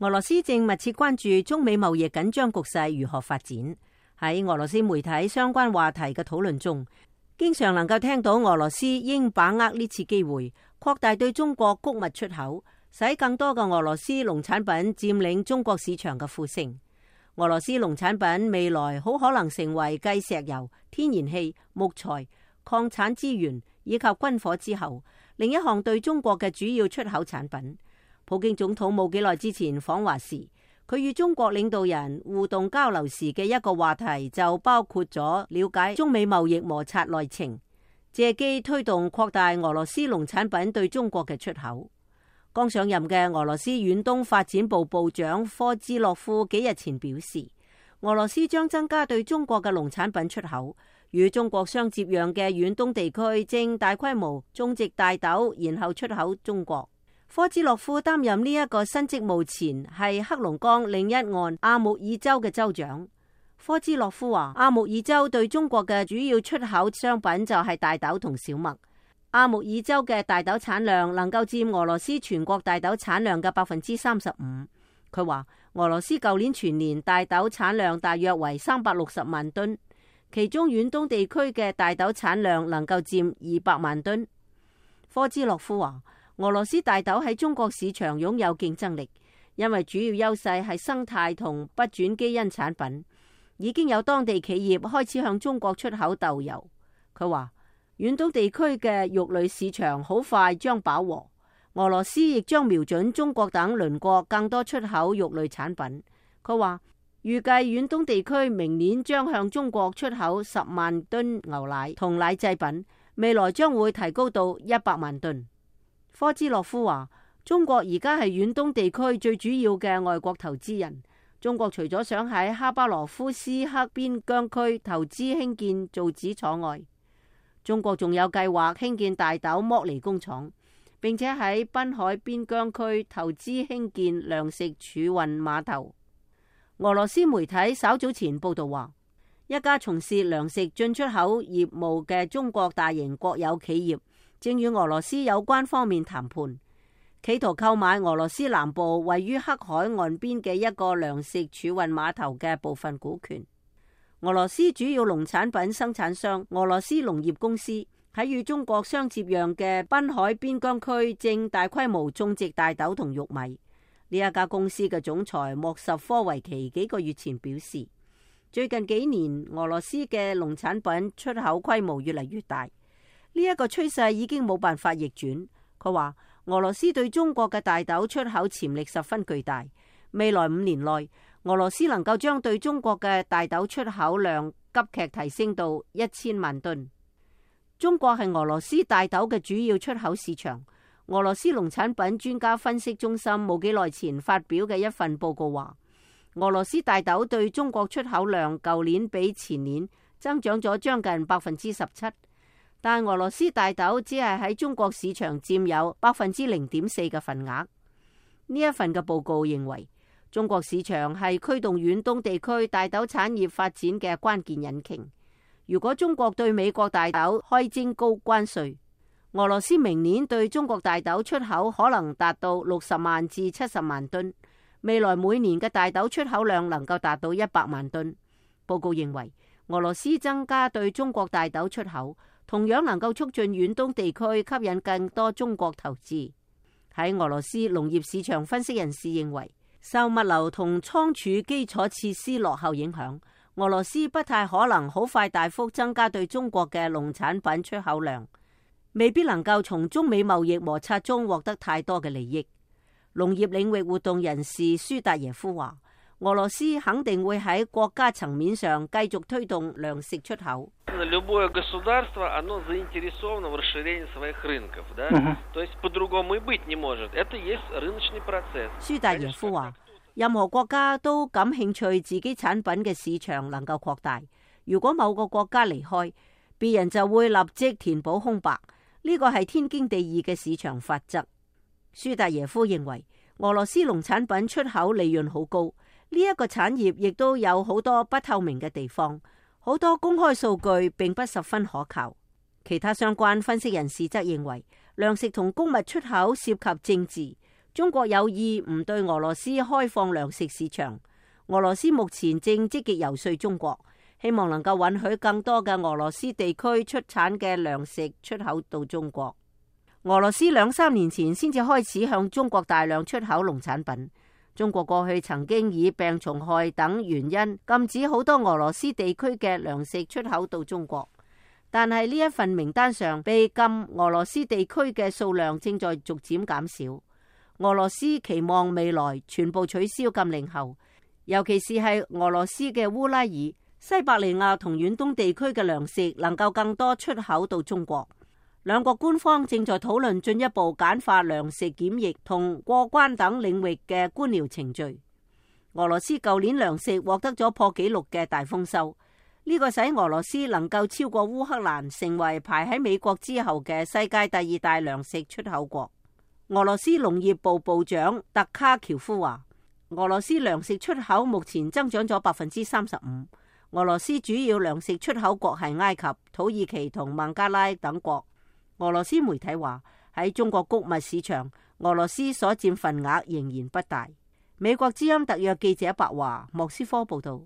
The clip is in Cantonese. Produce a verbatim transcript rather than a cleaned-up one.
俄羅斯正密切關注中美貿易緊張局勢如何發展。喺俄羅斯媒體相關話題嘅討論中，經常能夠聽到俄羅斯應把握呢次機會，擴大對中國穀物出口，使更多嘅俄羅斯農產品佔領中國市場嘅呼聲。俄羅斯農產品未來好可能成為繼石油、天然氣、木材、礦產資源以及軍火之後，另一項對中國嘅主要出口產品。普京總統冇幾耐之前訪華時，佢與中國領導人互動交流時嘅一個話題就包括咗了解中美貿易摩擦內情，借機推動擴大俄羅斯農產品對中國嘅出口。剛上任嘅俄羅斯遠東發展部部長科茲洛夫幾日前表示，俄羅斯將增加對中國嘅農產品出口，與中國相接壤嘅遠東地區正大規模種植大豆，然後出口中國。科茲洛夫擔任呢一個新職務前係黑龍江另一岸阿穆爾州嘅州長。科茲洛夫話，阿穆爾州對中國嘅主要出口商品就係大豆同小麥。阿穆爾州嘅大豆產量能夠佔俄羅斯全國大豆產量嘅百分之三十五。佢話俄羅斯舊年全年大豆產量大約為三百六十萬噸，其中遠東地區嘅大豆產量能夠佔二百萬噸。科茲洛夫話，俄羅斯大豆喺中國市場擁有競爭力，因為主要優勢係生態同不轉基因產品。已經有當地企業開始向中國出口豆油。佢話遠東地區嘅肉類市場好快將飽和，俄羅斯亦將瞄準中國等鄰國更多出口肉類產品。佢話預計遠東地區明年將向中國出口十萬噸牛奶同奶製品，未來將會提高到一百萬噸。科茲洛夫話，中國而家係遠東地區最主要嘅外國投資人。中國除咗想喺哈巴羅夫斯克邊疆區投資興建造紙廠外，中國仲有計劃興建大豆剝離工廠，並且喺濱海邊疆區投資興建糧食儲運碼頭。俄羅斯媒體稍早前報道話，一家從事糧食進出口業務嘅中國大型國有企業正與俄羅斯有關方面談判，企圖購買俄羅斯南部位於黑海岸邊嘅一個糧食儲運碼頭嘅部分股權。俄羅斯主要農產品生產商俄羅斯農業公司喺與中國相接壤嘅濱海邊疆區正大規模種植大豆同玉米。呢一家公司嘅總裁莫什科維奇幾個月前表示，最近幾年俄羅斯嘅農產品出口規模越嚟越大，呢一個趨勢已經冇辦法逆轉。佢話俄羅斯對中國嘅大豆出口潛力十分巨大，未來五年內俄羅斯能夠將對中國嘅大豆出口量急劇提升到一千萬噸。中國係俄羅斯大豆嘅主要出口市場。俄羅斯農產品專家分析中心冇幾耐前發表嘅一份報告話，俄羅斯大豆對中國出口量舊年比前年增長咗將近百分之十七，但俄羅斯大豆只係喺中國市場佔有百分之零點四嘅份額。呢一份嘅報告認為，中國市場係驅動遠東地區大豆產業發展嘅關鍵引擎。如果中國對美國大豆開徵高關稅，俄羅斯明年對中國大豆出口可能達到六十萬至七十萬噸，未來每年嘅大豆出口量能夠達到一百萬噸。報告認為，俄羅斯增加對中國大豆出口，同樣能夠促進遠東地區吸引更多中國投資。喺俄羅斯農業市場分析人士認為，受物流同倉儲基礎設施落後影響，俄羅斯不太可能好快大幅增加對中國嘅農產品出口量，未必能夠從中美貿易摩擦中獲得太多嘅利益。農業領域活動人士舒達耶夫話，俄羅斯肯定會喺國家層面上繼續推動糧食出口。舒達耶夫話，任何國家都感興趣自己產品嘅市場能夠擴大，如果某個國家離開，別人就會立即填補空白。呢個係天經地義嘅市場法則。舒達耶夫認為，俄羅斯農產品出口利潤好高，呢一個產業亦都有好多不透明嘅地方，好多公開數據並不十分可靠。其他相關分析人士則認為，糧食同穀物出口涉及政治，中國有意唔對俄羅斯開放糧食市場。俄羅斯目前正積極游說中國，希望能夠允許更多嘅俄羅斯地區出產嘅糧食出口到中國。俄羅斯兩三年前先至開始向中國大量出口農產品。中國過去曾經以病蟲害等原因禁止好多俄羅斯地區嘅糧食出口到中國，但係呢一份名單上被禁俄羅斯地區嘅數量正在逐漸減少。俄羅斯期望未來全部取消禁令後，尤其是係俄羅斯嘅烏拉爾、西伯利亞同遠東地區嘅糧食能夠更多出口到中國。兩國官方正在討論進一步簡化糧食檢疫同過關等領域嘅官僚程序。俄羅斯舊年糧食獲得咗破紀錄嘅大豐收，呢個使俄羅斯能夠超過烏克蘭，成為排喺美國之後嘅世界第二大糧食出口國。俄羅斯農業部部長特卡喬夫話，俄羅斯糧食出口目前增長咗百分之三十五。俄羅斯主要糧食出口國係埃及、土耳其同孟加拉等國。俄羅斯媒體話，喺中國穀物市場，俄羅斯所佔份額仍然不大。美國之音特約記者白華莫斯科報道。